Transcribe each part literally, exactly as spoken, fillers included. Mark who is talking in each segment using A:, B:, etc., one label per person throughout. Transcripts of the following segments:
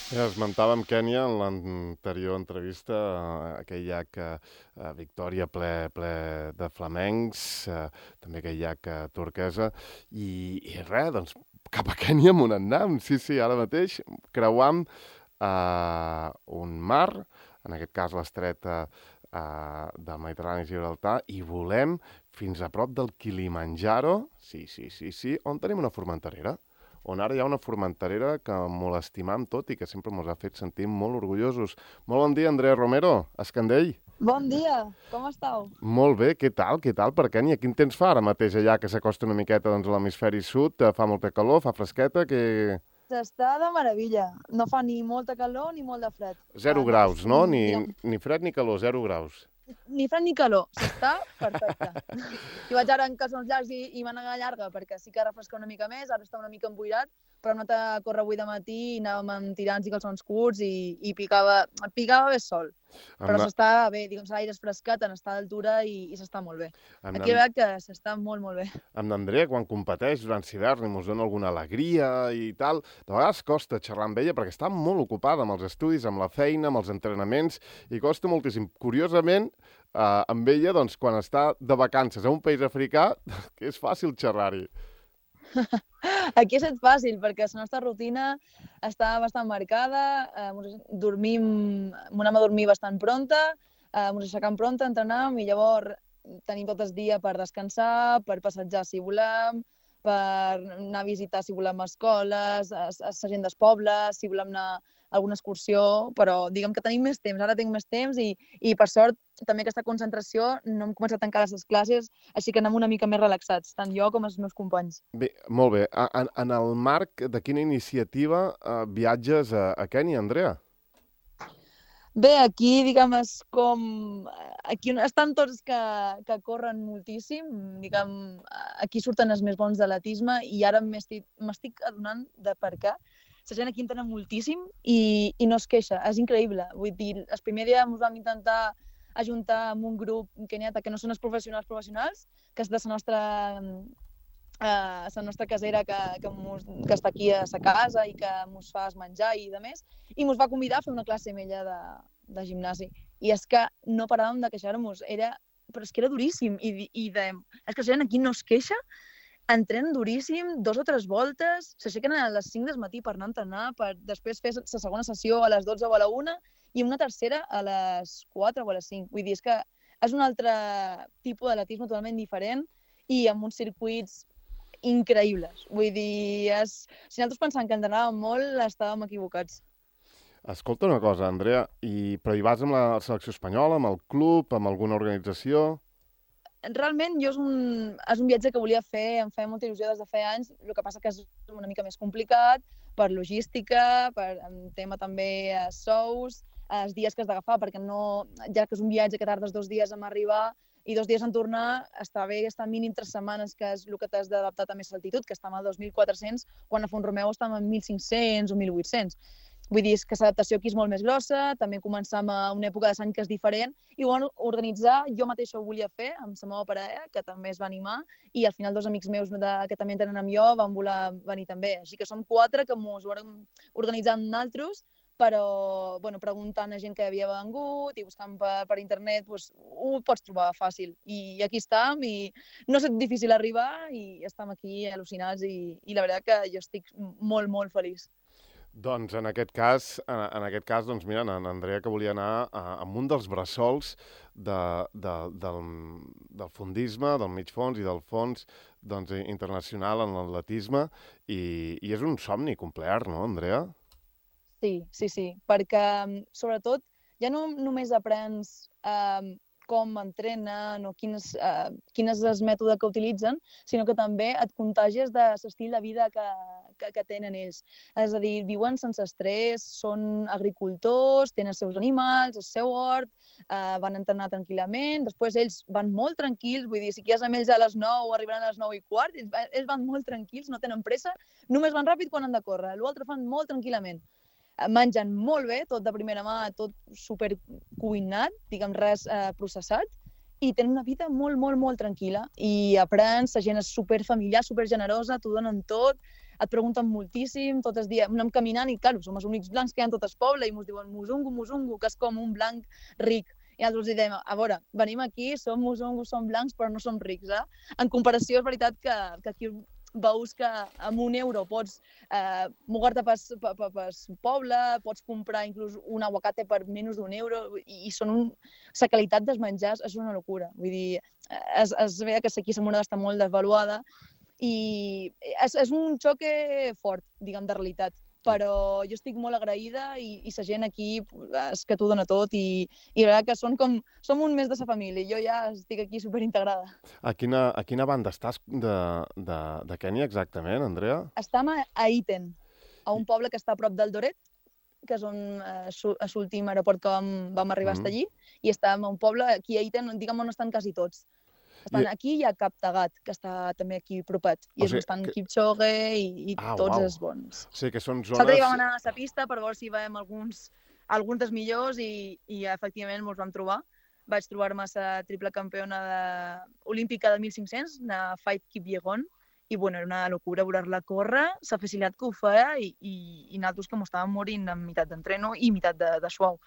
A: Ja esmentàvem Kènia en l'anterior entrevista, eh, aquell llac eh, a Victòria ple, ple de flamencs, eh, també aquell llac eh, turquesa, i, i res, doncs cap a Kènia amb un anam, sí, sí, ara mateix creuam eh, un mar, en aquest cas l'estret eh, eh, del Mediterrani i Gibraltar, i volem fins a prop del Kilimanjaro, sí, sí, sí, sí, on tenim una formenterera on ara hi ha una formenterera que molt estimam tot i que sempre ens ha fet sentir molt orgullosos. Molt bon dia, Andrea Romero, Escandell.
B: Bon dia, com estàu?
A: Molt bé, què tal, què tal per Kènia? Quin temps fa ara mateix allà que s'acosta una miqueta doncs, a l'hemisferi sud? Eh, Fa molta calor, fa fresqueta, que...
B: S'està de meravella. No fa ni molta calor ni molt de fred.
A: Zero
B: Uh,
A: graus,
B: només,
A: no?
B: mm,
A: Ni,
B: diguem,
A: ni fred ni calor, zero graus.
B: ni fred ni calor. S'està perfecte. Jo vaig ara en calçons llargs i, i mànega llarga perquè sí que refresca una mica més, ara està una mica emboirat, però hem anat a córrer avui de matí i anàvem amb tirants i calçons curts i, i picava, picava bé sol.
A: Amb,
B: Però
A: na...
B: s'està bé, diguem, l'aire és frescat, en està d'altura i, i s'està molt bé.
A: amb,
B: Aquí
A: na...
B: veig que s'està molt, molt bé.
A: amb n'Andrea, quan competeix durant l'hivern i mos dona alguna alegria i tal, de vegades costa xerrar amb ella perquè està molt ocupada amb els estudis, amb la feina, amb els entrenaments, i costa moltíssim. Curiosament, eh, amb ella, doncs, quan està de vacances a un país africà, que és fàcil xerrar-hi.
B: Aquí ha estat fàcil, perquè la nostra rutina està bastant marcada, eh, dormim, anem a dormir bastant pronta, eh, ens aixecam pronta, entrenem, i llavors tenim tot el dia per descansar, per passejar si volem, per anar a visitar si volem escoles, a, a la gent del poble, si volem anar a alguna excursió, però diguem que tenim més temps, ara tinc més temps i, i per sort també aquesta concentració no hem començat encara les classes, així que anem una mica més relaxats, tant jo com els meus companys.
A: Bé, molt bé. A- En, en el marc de quina iniciativa eh, viatges a, a Kènia, Andrea?
B: Bé, aquí, diguem, és com... Aquí estan tots que, que corren moltíssim, diguem, aquí surten els més bons de l'atisme i ara m'estic adonant de per què. La gent aquí entena moltíssim i, i no es queixa, és increïble. Vull dir, el primer dia ens vam intentar ajuntar amb un grup keniata que no són els professionals professionals, que és de la nostra eh, la nostra casera que, que, mos, que està aquí a la casa i que ens fa menjar i de més, i ens va convidar a fer una classe amb ella de, de gimnasi. I és que no paràvem de queixar-nos, era, però és que era duríssim, i, i de, és que la gent aquí no es queixa, entrenen duríssim, dos o tres voltes, s'aixequen a les cinc del matí per anar a entrenar, per després fer la segona sessió a les dotze o a la una i una tercera a les quatre o a les cinc. Vull dir, és que és un altre tipus d'atletisme totalment diferent i amb uns circuits increïbles. Vull dir, és... si nosaltres pensàvem que entrenàvem molt, estàvem equivocats.
A: Escolta una cosa, Andrea, i, però hi vas amb la selecció espanyola, amb el club, amb alguna organització?
B: Realment, jo és un, és un viatge que volia fer, em feia molta il·lusió des de feia anys, el que passa que és una mica més complicat, per logística, per tema també a sous, els dies que has d'agafar, perquè no, ja que és un viatge que tardes dos dies en arribar i dos dies en tornar, està bé estar mínim tres setmanes, que és el que t'has d'adaptar també a l'altitud, que estem a dos mil quatre-cents, quan a Font-romeu estem a mil cinc-cents o mil vuit-cents. Vull dir que l'adaptació aquí és molt més grossa, també començam a una època de l'any que és diferent, i ho van organitzar, jo mateixa ho volia fer, amb la meva parella, que també es va animar, i al final dos amics meus de, que també tenen amb jo van voler venir també. Així que som quatre que ens ho vam organitzar amb nosaltres, però bueno, preguntant a gent que havia vengut i buscant per, per internet, doncs, ho pots trobar fàcil. I aquí estem, i no és difícil arribar, i estem aquí al·lucinats, i, i la veritat que jo estic molt, molt feliç.
A: Doncs en aquest cas, en, en aquest cas, doncs mira, en Andrea que volia anar a, amb un dels bressols de, de, del, del fondisme, del mig fons i del fons doncs, internacional en l'atletisme, i, i és un somni complet, no, Andrea?
B: Sí, sí, sí, perquè sobretot ja no només aprens eh, com entrenen o quin és, eh, quin és el mètode que utilitzen, sinó que també et contagies de l'estil de vida que, que, que tenen ells. És a dir, viuen sense estrès, són agricultors, tenen els seus animals, el seu hort, eh, van entrenar tranquil·lament, després ells van molt tranquils, vull dir, si quedes amb ells a les nou, arribaran a les nou i quart, ells, ells van molt tranquils, no tenen pressa, només van ràpid quan han de córrer, l'altre fan molt tranquil·lament. Mengen molt bé, tot de primera mà, tot super cuinat, diguem res eh, processat, i tenen una vida molt, molt, molt tranquil·la. I aprens, la gent és super familiar, super generosa, t'ho donen tot, et pregunten moltíssim, tot el dia anem caminant i, clar, som els únics blancs que hi ha en tot el poble i ens diuen musungu, musungu, que és com un blanc ric. I nosaltres diem, a veure, venim aquí, som musungus, som blancs, però no som rics, eh? En comparació, és veritat que, que aquí veus que amb un euro pots eh, mogar-te pel poble, pots comprar inclús un aguacate per menys d'un euro i, i són un... la qualitat dels menjars és una locura. Vull dir, es, es veia que aquí la moneda està molt desvaluada i és, és un xoc fort, diguem, de realitat. Però jo estic molt agraïda i, i la gent aquí és que t'ho dona tot i, i la veritat que són com, som un més de la família. Jo ja estic aquí superintegrada.
A: A quina, a quina banda estàs de, de, de Kènia exactament, Andrea?
B: Estem a, a Iten, a un poble que està a prop d'Eldoret, que és on eh, és l'últim aeroport que vam, vam arribar mm. a estar allí, i estem a un poble, aquí a Iten, diguem on estan quasi tots. Estan I... aquí i a Kaptagat, que està també aquí propet. I o sigui, és bastant que... Kipchoge i, i ah, tots uau. Els bons.
A: O sigui que són zones...
B: Nosaltres hi vam anar a la pista per veure si veiem alguns, alguns dels millors i, i efectivament ens vam trobar. Vaig trobar-me la triple campiona de... olímpica de mil cinc-cents, la Faith Kipyegon, i bueno, era una locura veure-la córrer, la facilitat que ho feia i, i, i nosaltres que m'ho estàvem morint en meitat d'entreno i meitat de, de suau.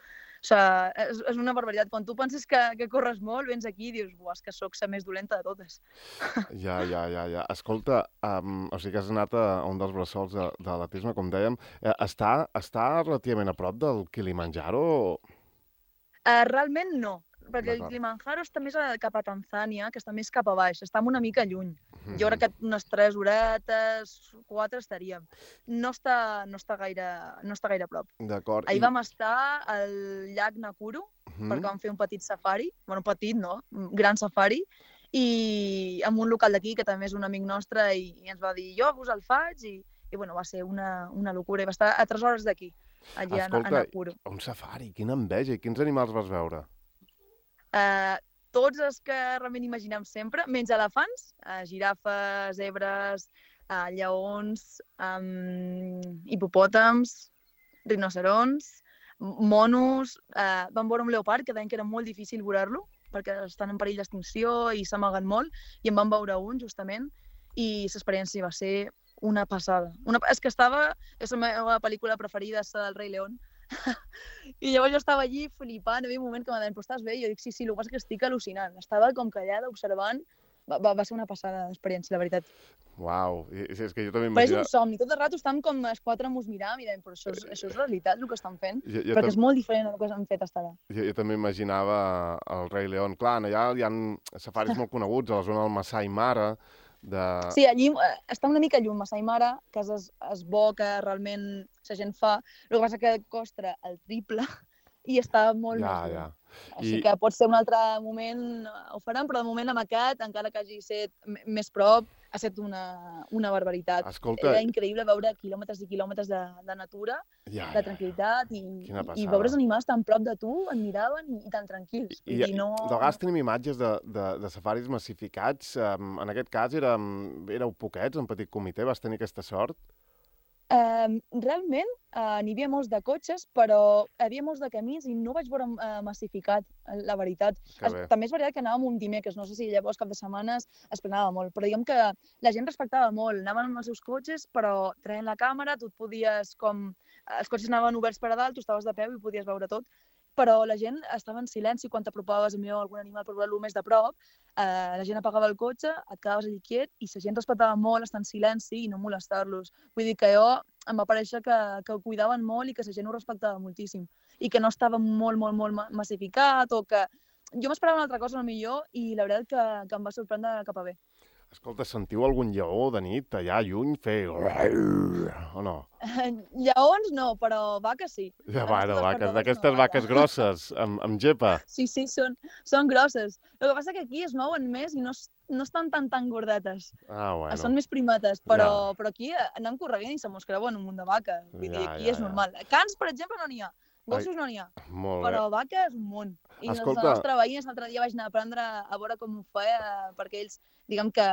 B: O sigui, és, és una barbaritat. Quan tu penses que, que corres molt, vens aquí i dius, buah, és que sóc la més dolenta de totes.
A: Ja, ja, ja, ja. Escolta, um, o sigui que has anat a un dels bressols de, de l'atletisme, com dèiem. Eh, està, està relativament a prop del Kilimanjaro?
B: Uh, realment no, perquè el Kilimanjaro està més a, cap a Tanzània, que està més cap a baix, està una mica lluny. Mm-hmm. Jo crec que unes tres horetes, quatre estaríem. No està, no està, gaire, no està gaire a prop.
A: D'acord.
B: Ahir I... vam estar al llac Nakuru, mm-hmm. perquè vam fer un petit safari, bueno, petit no, un gran safari, i amb un local d'aquí, que també és un amic nostre, i, i ens va dir, jo us el faig, i, i bueno, va ser una, una locura. I va estar a tres hores d'aquí, allà
A: Escolta,
B: a Nakuru.
A: Un safari, quina enveja, i quins animals vas veure?
B: Uh, tots els que realment imaginem sempre, menys elefants, uh, girafes, zebres, uh, lleons, um, hipopòtams, rinocerons, monos, uh, vam veure un leopard que deien que era molt difícil veure-lo perquè estan en perill d'extinció i s'amaguen molt, i en vam veure un justament, i l'experiència va ser una passada. Una... És que estava, és la meva pel·lícula preferida, és la del Rei León, i llavors jo estava allí flipant, hi havia un moment que m'ha dit, però estàs bé? I jo dic, sí, sí, el que passa és que estic al·lucinant. Estava com callada, observant, va, va, va ser una passada d'experiència, la veritat.
A: Uau, I, és que jo també
B: imagina... Però és un somni, tot el rato estem com els quatre ens mirant i dèiem, però això és, això és realitat, el que estan fent, jo, jo perquè tam... és molt diferent del que han fet fins ara.
A: Jo, jo també imaginava el Rei León. Clar, allà hi ha safaris molt coneguts, a la zona del Masai Mara, de...
B: Sí, allí està una mica lluny, Masai Mara, que és, és bo, que realment la gent fa. El que passa que costa el triple i està molt
A: ja,
B: més
A: ja.
B: Així
A: I...
B: que pot ser un altre moment, ho farem, però de moment amb aquest, encara que hagi estat més prop, ha estat una, una barbaritat.
A: Escolta...
B: Era increïble veure quilòmetres i quilòmetres de, de natura,
A: ja,
B: de tranquil·litat, i, i veure els animals tan prop de tu, et miraven i, i tan tranquils.
A: I,
B: I no...
A: De vegades tenim imatges de, de, de safaris massificats. En aquest cas érem, éreu poquets, en petit comitè, vas tenir aquesta sort?
B: Uh, realment uh, n'hi havia molts de cotxes, però hi havia molts de camins i no vaig veure uh, massificat, la veritat. Es, també és veritat que anàvem un dimecres, no sé si llavors cap de setmanes es plenava molt, però diguem que la gent respectava molt, anaven amb els seus cotxes, però traient la càmera, tu et podies com... Els cotxes anaven oberts per a dalt, tu estaves de peu i podies veure tot, però la gent estava en silenci quan t'apropaves a algun animal per veure-lo més de prop, eh, la gent apagava el cotxe, et quedaves allí quiet i la gent respectava molt estar en silenci i no molestar-los. Vull dir que jo em va parèixer que, que ho cuidaven molt i que la gent ho respectava moltíssim i que no estava molt, molt, molt massificat o que... Jo m'esperava una altra cosa, millor, i la veritat que, que em va sorprendre cap a bé.
A: Escolta, sentiu algun lleó de nit allà lluny fer... o no?
B: Lleons no, però vaques sí.
A: Ja, bueno, vaques, d'aquestes no, vaques grosses, amb, amb gepa.
B: Sí, sí, són, són grosses. El que passa que aquí es mouen més i no, no estan tan tan gordetes.
A: Ah, bueno.
B: Són més primates, però,
A: ja.
B: però aquí anem correguent i se mos creuen un munt de vaques. Vull dir,
A: ja,
B: aquí
A: ja,
B: és
A: ja.
B: normal. Cans, per exemple, no n'hi ha. Gossos no n'hi ha, però vaques un munt. I Escolta... els nostres veïns l'altre dia vaig anar a aprendre a veure com ho feia, perquè ells, diguem que,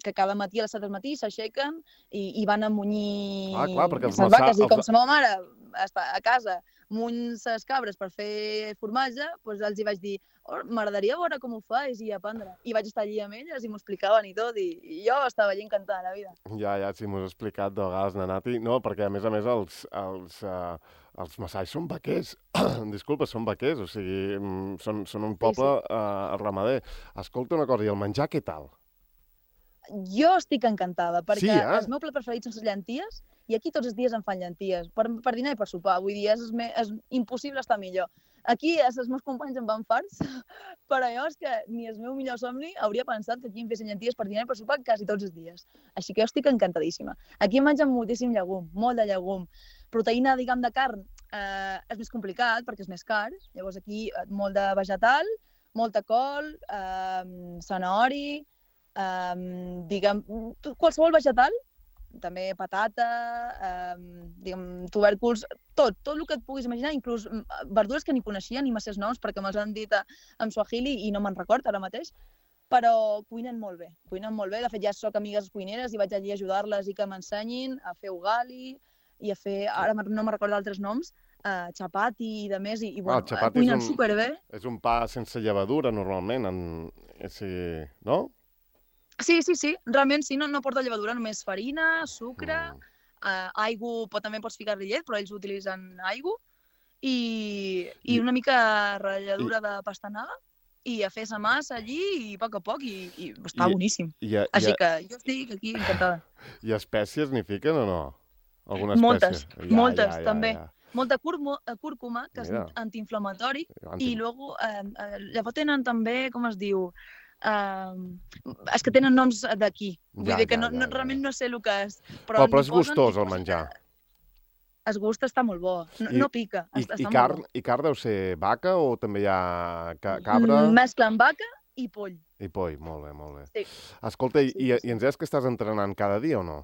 B: que cada matí a les set del matí s'aixequen i, i van a munyir
A: ah, clar, perquè
B: les vaques. I com la meva mare a casa muny les cabres per fer formatge, doncs els hi vaig dir oh, m'agradaria veure com ho fas i aprendre. I vaig estar allí amb elles i m'ho explicaven i tot, i, i jo estava allí encantada de la vida.
A: Ja, ja, sí, m'ho has explicat de vegades, Nanati. No, perquè a més a més els, els, uh, els massais són vaquers. Disculpa, són vaquers, o sigui, són, són un poble sí, sí. Uh, ramader. Escolta una cosa, i el menjar què tal?
B: Jo estic encantada, perquè
A: sí, eh?
B: el meu plat preferit són les llenties, i aquí tots els dies em fan llenties, per, per dinar i per sopar. Vull dir, és, és impossible estar millor. Aquí els meus companys em van farts, però jo és que ni el meu millor somni hauria pensat que aquí em fessin llenties per dinar i per sopar quasi tots els dies. Així que jo estic encantadíssima. Aquí em mengen moltíssim llegum, molt de llegum. Proteïna, diguem, de carn eh, és més complicat perquè és més car. Llavors aquí molt de vegetal, molta col, eh, zanaori, eh, diguem, qualsevol vegetal, també patata, eh, diguem, tubèrculs, tot, tot el que et puguis imaginar, inclús verdures que ni coneixia ni masses noms perquè me'ls han dit en suahili i no me'n record ara mateix, però cuinen molt bé, cuinen molt bé. De fet, ja soc amigues cuineres i vaig allí a ajudar-les i que m'ensenyin a fer ugali i a fer, ara no me'n recordo d'altres noms, uh, chapati i de més, i, i bueno,
A: ah,
B: cuinen
A: un,
B: superbé.
A: És un pa sense llevadura, normalment, en, si, no?
B: Sí, sí, sí, realment sí, no, no porta llevadura, només farina, sucre, mm. eh, aigua, pot, també pots ficar-li llet, però ells utilitzen aigua, i, i, I una mica ratlladura I... de pastanaga, i a fer sa massa allí, i a poc a poc, i, i està I, boníssim. I, i, Així que jo estic aquí encantada.
A: I espècies n'hi fiquen o no? Alguna espècie?
B: Moltes,
A: ja,
B: moltes,
A: ja, ja,
B: també. Ja. Molta cúrcuma, que
A: Mira.
B: és antiinflamatori, Anti... i luego, eh, llavors tenen també, com es diu, Uh, és que tenen noms d'aquí. Vull ja, dir que ja, no, ja, no, realment ja. no sé el que és.
A: Però, però és gustós el menjar.
B: El gust està molt bo. No,
A: I,
B: no pica.
A: I,
B: està
A: i,
B: molt
A: carn,
B: bo.
A: I carn deu ser vaca o també hi ha ca cabra?
B: Mesclen vaca i poll.
A: I poll, molt bé, molt bé.
B: Sí.
A: Escolta,
B: sí,
A: i,
B: sí.
A: i ens deies que estàs entrenant cada dia o no?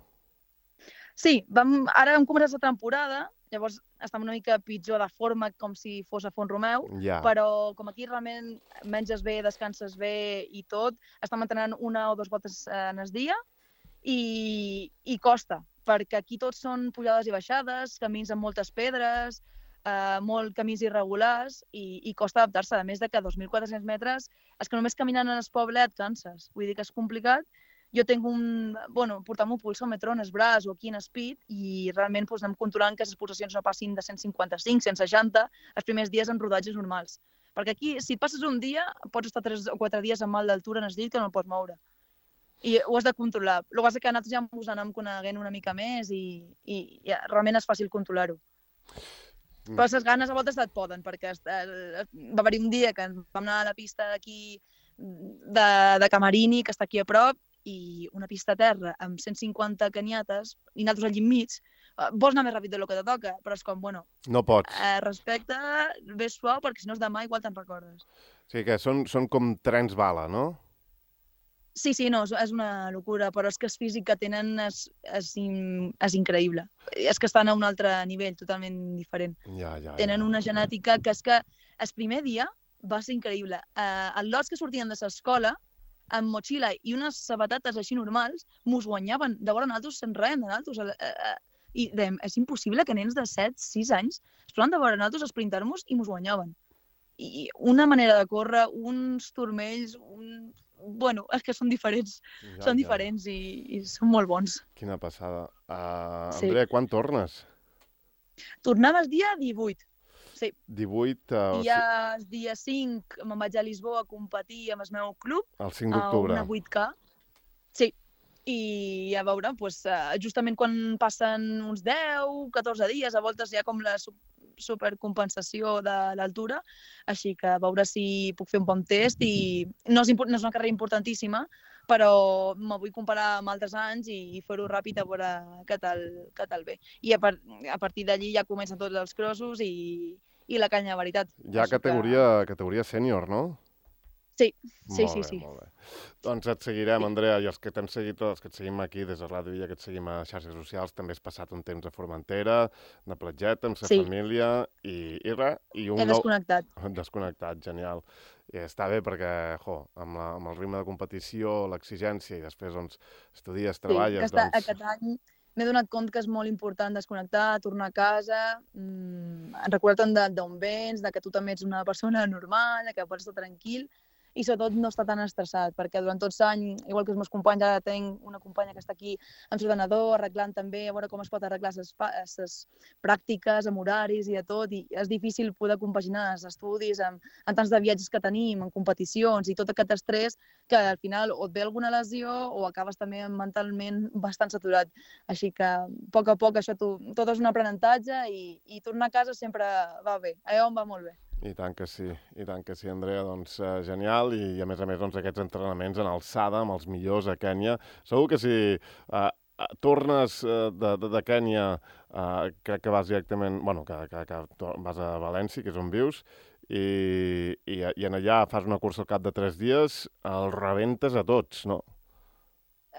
B: Sí, vam, ara hem començat la temporada, llavors estem una mica pitjor de forma com si fos a Font-romeu,
A: ja.
B: però com aquí realment menges bé, descanses bé i tot, estem entrenant una o dues voltes en el dia i, i costa, perquè aquí tots són pujades i baixades, camins amb moltes pedres, eh, molt camins irregulars i, i costa adaptar-se, a més de que dos mil quatre-cents metres és que només caminant en el poble et canses, vull dir que és complicat. Jo tinc un... Bueno, portam un pulsòmetre en el braç o aquí en el pit i realment doncs, anem controlant que les pulsacions no passin de cent cinquanta-cinc, cent seixanta, els primers dies en rodatges normals. Perquè aquí, si et passes un dia, pots estar tres o quatre dies amb mal d'altura en el llit que no el pots moure. I ho has de controlar. El que passa que nosaltres ja ens anem coneguent una mica més i, i ja, realment és fàcil controlar-ho. Mm. Però les ganes a voltes et poden, perquè va haver-hi un dia que vam anar a la pista d'aquí de, de Camarini, que està aquí a prop, i una pista a terra amb cent cinquanta caniates i nosaltres allí enmig, vols anar més ràpid del que te toca, però és com, bueno...
A: No pots.
B: Eh, respecte, ves suau, perquè si no és demà igual te'n recordes.
A: O sigui que són, són com trens bala, no?
B: Sí, sí, no, és una locura, però és que el físic que tenen és, és, in, és increïble. És que estan a un altre nivell, totalment diferent.
A: Ja, ja,
B: tenen
A: ja.
B: una genètica que és que el primer dia va ser increïble. Eh, els lots que sortien de l'escola, amb motxilla i unes sabatetes així normals, mos guanyaven de veure nosaltres sense res de nosaltres. Eh, eh, I dèiem, és impossible que nens de set sis anys es poden de veure nosaltres esprintar-nos i mos guanyaven. I una manera de córrer, uns turmells, un... Bueno, és que són diferents. Ja, són ja. diferents i, i són molt bons.
A: Quina passada. Uh,
B: sí.
A: Andrea, quan tornes?
B: Tornem el dia divuit. Sí.
A: divuit... Uh,
B: I ja el dia cinc me'n vaig a Lisboa a competir amb el meu club.
A: El cinc d'octubre.
B: A una vuit K. Sí. I a veure, doncs, justament quan passen uns deu, catorze dies, a voltes hi ha com la supercompensació de l'altura, així que a veure si puc fer un bon test i no és, no és una carrera importantíssima, però me vull comparar amb altres anys i fer-ho ràpid a veure què tal, què tal ve. I a, par a partir d'allí ja comencen tots els crossos i, i la canya de veritat.
A: Hi ha categoria, que... categoria sènior, no?
B: Sí, sí,
A: molt
B: sí,
A: bé,
B: sí.
A: Molt bé. Doncs et seguirem, Andrea, i els que t'hem seguit, els que et seguim aquí des de Ràdio Illa, que et seguim a xarxes socials, també has passat un temps a Formentera, de platgeta, amb sa sí. família, i, i res. I un
B: He desconnectat.
A: Nou... Desconnectat, genial. I està bé perquè, jo, amb, la, amb el ritme de competició, l'exigència, i després, doncs, estudies, treballes...
B: Sí, aquesta,
A: doncs...
B: aquest any m'he donat compte que és molt important desconnectar, tornar a casa, mmm, recordar-te'n d'on vens, de que tu també ets una persona normal, de que pots estar tranquil i sobretot no estar tan estressat, perquè durant tots l'any, igual que els meus companys, ara tinc una companya que està aquí amb l'ordenador, arreglant també, a veure com es pot arreglar les pràctiques, amb horaris i de tot, i és difícil poder compaginar els estudis amb, amb tants de viatges que tenim, en competicions i tot aquest estrès, que al final o et ve alguna lesió o acabes també mentalment bastant saturat. Així que, a poc a poc, això tot és un aprenentatge i, i tornar a casa sempre va bé, allò em va molt bé.
A: I tant que sí, i tant que sí, Andrea, doncs uh, genial, i, i a més a més doncs, aquests entrenaments en alçada amb els millors a Kènia. Segur que si uh, tornes uh, de, de, de Kènia, uh, crec que vas directament, bueno, que, que, que vas a València, que és on vius, i, i, i en allà fas una cursa al cap de tres dies, els rebentes a tots, no?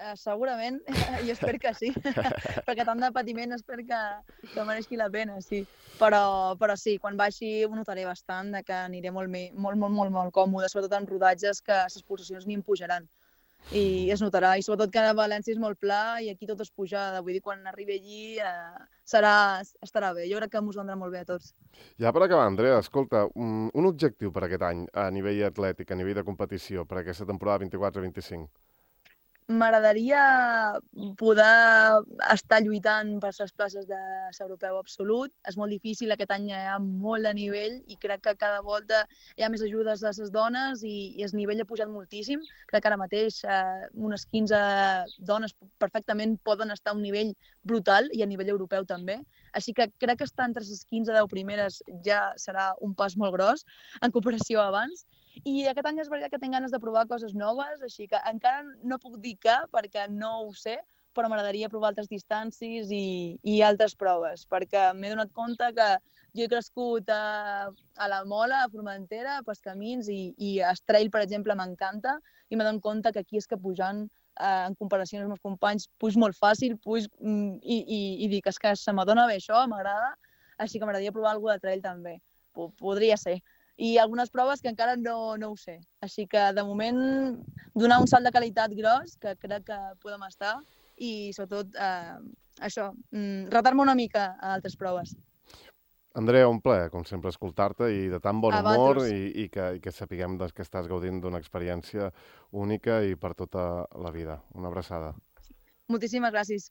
B: Uh, segurament, jo espero que sí, perquè tant de patiment espero que, que mereixi la pena, sí. Però, però sí, quan baixi ho notaré bastant, de que aniré molt, molt, molt, molt, molt còmode, sobretot en rodatges que les pulsacions ni em pujaran. I es notarà, i sobretot que a València és molt pla i aquí tot és pujada, vull dir, quan arribi allí eh, serà, estarà bé, jo crec que m'ho vendrà molt bé a tots.
A: Ja per acabar, Andrea, escolta, un, un objectiu per aquest any a nivell atlètic, a nivell de competició, per aquesta temporada vint-i-quatre vint-i-cinc?
B: M'agradaria poder estar lluitant per les places de l'europeu absolut. És molt difícil, aquest any hi ha molt de nivell i crec que cada volta hi ha més ajudes a les dones i, i el nivell ha pujat moltíssim. Crec que ara mateix eh, unes quinze dones perfectament poden estar a un nivell brutal i a nivell europeu també. Així que crec que estar entre les quinze deu primeres ja serà un pas molt gros en comparació a abans. I aquest any és veritat que tinc ganes de provar coses noves, així que encara no puc dir què, perquè no ho sé, però m'agradaria provar altres distàncies i, i altres proves, perquè m'he donat compte que jo he crescut a, a la Mola, a Formentera, pels camins, i, i el trail, per exemple, m'encanta, i m'he donat compte que aquí és que pujant, eh, en comparació amb els meus companys, puig molt fàcil, puig, i, i, i dic, és que se m'adona bé això, m'agrada, així que m'agradaria provar alguna de trail també. Podria ser. I algunes proves que encara no, no ho sé. Així que, de moment, donar un salt de qualitat gros, que crec que podem estar, i, sobretot, eh, això, retar-me una mica a altres proves.
A: Andrea, un plaer, com sempre, escoltar-te i de tan bon humor i, i, que, i que sapiguem doncs, que estàs gaudint d'una experiència única i per tota la vida. Una abraçada.
B: Moltíssimes gràcies.